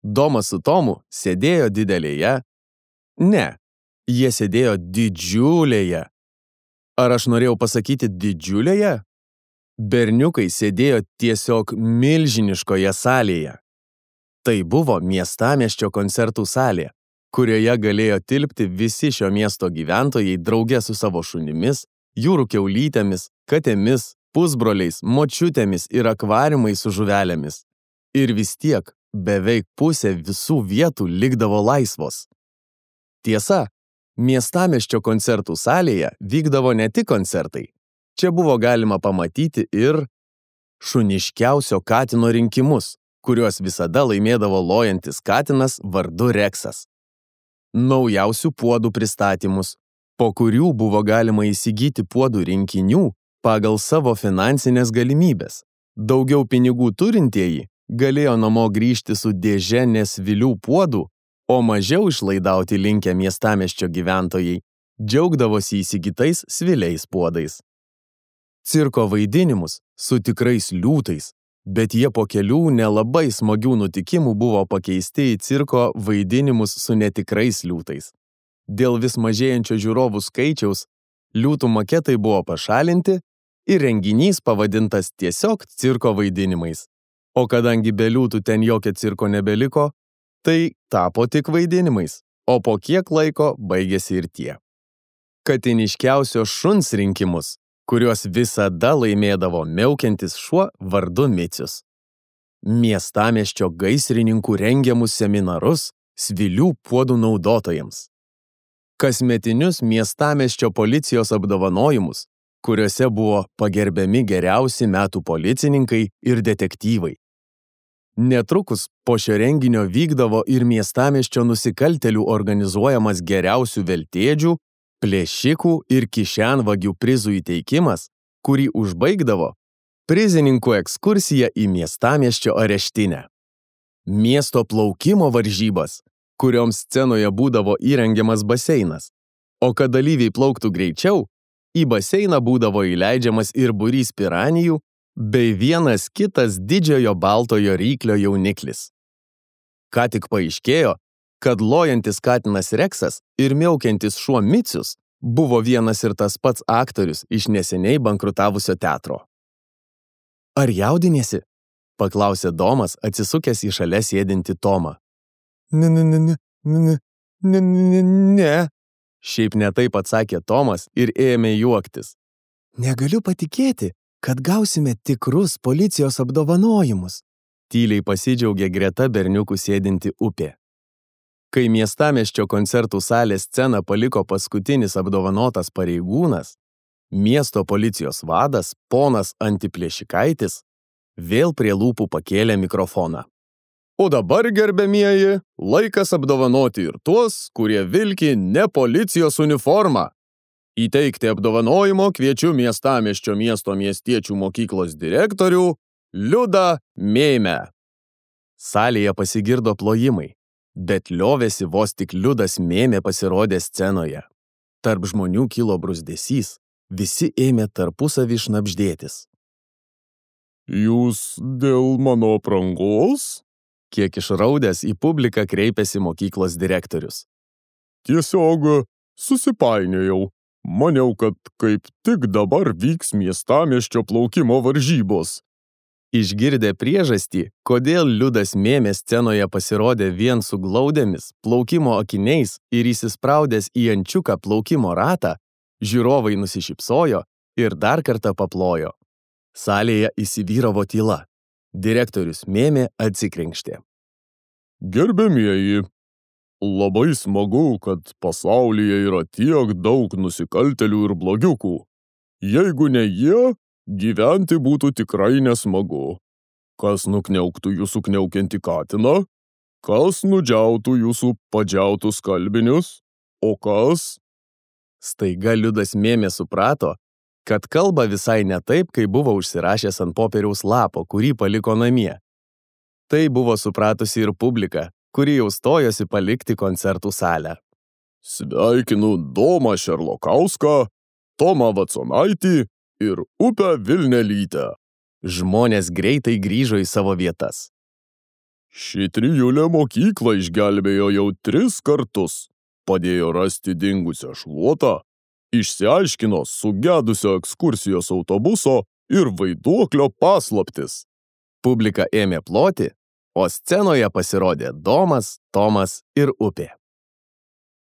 Domas su Tomu sėdėjo didelėje. Ne, jie sėdėjo didžiulėje. Ar aš norėjau pasakyti didžiulėje? Berniukai sėdėjo tiesiog milžiniškoje salėje. Tai buvo miestamiesčio koncertų salė, kurioje galėjo tilpti visi šio miesto gyventojai drauge su savo šunimis, jūrų kiaulytėmis, katėmis, pusbroliais, močiutėmis ir akvariumais su žuvelėmis. Ir vis tiek beveik pusė visų vietų likdavo laisvos. Tiesa, miestamiesčio koncertų salėje vykdavo ne tik koncertai. Čia buvo galima pamatyti ir šuniškiausio katino rinkimus, kuriuos visada laimėdavo lojantis katinas vardu Reksas. Naujausių puodų pristatymus, po kurių buvo galima įsigyti puodų rinkinių pagal savo finansinės galimybės. Daugiau pinigų turintieji galėjo namo grįžti su dėže nesvilių puodų, o mažiau išlaidauti linkę miestamiesčio gyventojai džiaugdavosi įsigytais sviliais puodais. Cirko vaidinimus su tikrais liūtais, bet jie po kelių nelabai smagių nutikimų buvo pakeisti į cirko vaidinimus su netikrais liūtais. Dėl vis mažėjančio žiūrovų skaičiaus liūtų maketai buvo pašalinti ir renginys pavadintas tiesiog cirko vaidinimais. O kadangi be liūtų ten jokio cirko nebeliko, tai tapo tik vaidinimais, o po kiek laiko baigėsi ir tie. Katiniškiausio šuns rinkimus, kuriuos visada laimėdavo miaukiantis šuo vardu Micius. Miestamiesčio gaisrininkų rengiamus seminarus svilių puodų naudotojams. Kasmetinius miestamiesčio policijos apdovanojimus, kuriuose buvo pagerbiami geriausi metų policininkai ir detektyvai. Netrukus po šio renginio vykdavo ir miestamiesčio nusikaltėlių organizuojamas geriausių veltėdžių, plėšikų ir kišenvagių prizų įteikimas, kurį užbaigdavo prizininkų ekskursija į miestamiesčio areštinę. Miesto plaukimo varžybas, kurioms scenoje būdavo įrengiamas baseinas, o kad dalyviai plauktų greičiau, į baseiną būdavo įleidžiamas ir būrys piranijų bei vienas kitas didžiojo baltojo ryklio jauniklis. Ką tik paaiškėjo, kad lojantis katinas Reksas ir miaukiantis šuo Micius buvo vienas ir tas pats aktorius iš neseniai bankrutavusio teatro. Ar jaudiniesi? Paklausė Domas, atsisukęs į šalia sėdintį Tomą. Ne. Šiaip ne taip atsakė Tomas ir ėmė juoktis. Negaliu patikėti, kad gausime tikrus policijos apdovanojimus. Tyliai pasidžiaugė greta berniukų sėdinti Upė. Kai miestamiesčio koncertų salės sceną paliko paskutinis apdovanotas pareigūnas, miesto policijos vadas, ponas Antiplėšikaitis, vėl prie lūpų pakėlė mikrofoną. O dabar, gerbiamieji, laikas apdovanoti ir tuos, kurie vilki ne policijos uniformą. Įteikti apdovanojimo kviečiu miestamiesčio miesto miestiečių mokyklos direktorių Liudą Mėmę. Salėje pasigirdo plojimai, bet liovėsi vos tik Liudas Mėmė pasirodė scenoje. Tarp žmonių kilo bruzdesys, visi ėmė tarpusavį šnabždėtis. Jūs dėl mano aprangos? Kiek išraudęs į publiką kreipėsi mokyklos direktorius. Tiesiog susipainiojau. Maniau, kad kaip tik dabar vyks miestamiesčio plaukimo varžybos. Išgirdę priežastį, kodėl Liudas Mėmė scenoje pasirodė vien su glaudėmis, plaukimo akiniais ir įsispraudęs į ančiuką plaukimo ratą, žiūrovai nusišypsojo ir dar kartą paplojo. Salėje įsivyravo tyla. Direktorius Mėmė atsikrenkštė. Gerbiamieji, labai smagu, kad pasaulyje yra tiek daug nusikaltėlių ir blogiukų. Jeigu ne jie, gyventi būtų tikrai nesmagu. Kas nukniauktų jūsų kniaukiantį katiną? Kas nudžiautų jūsų padžiautus skalbinius? O kas? Staiga Liudas Mėmė suprato, kad kalba visai ne taip, kai buvo užsirašęs ant popieriaus lapo, kurį paliko namie. Tai buvo supratusi ir publika, kuri jau stojosi palikti koncertų salę. Sveikinu Domą Šerlokauską, Tomą Vaconaitį ir Upę Vilnelytę. Žmonės greitai grįžo į savo vietas. Ši trijulė mokyklą išgelbėjo jau 3 kartus. Padėjo rasti dingusią šluotą, išsiaiškino sugedusio ekskursijos autobuso ir vaiduoklio paslaptis. Publika ėmė ploti, o scenoje pasirodė Domas, Tomas ir upė.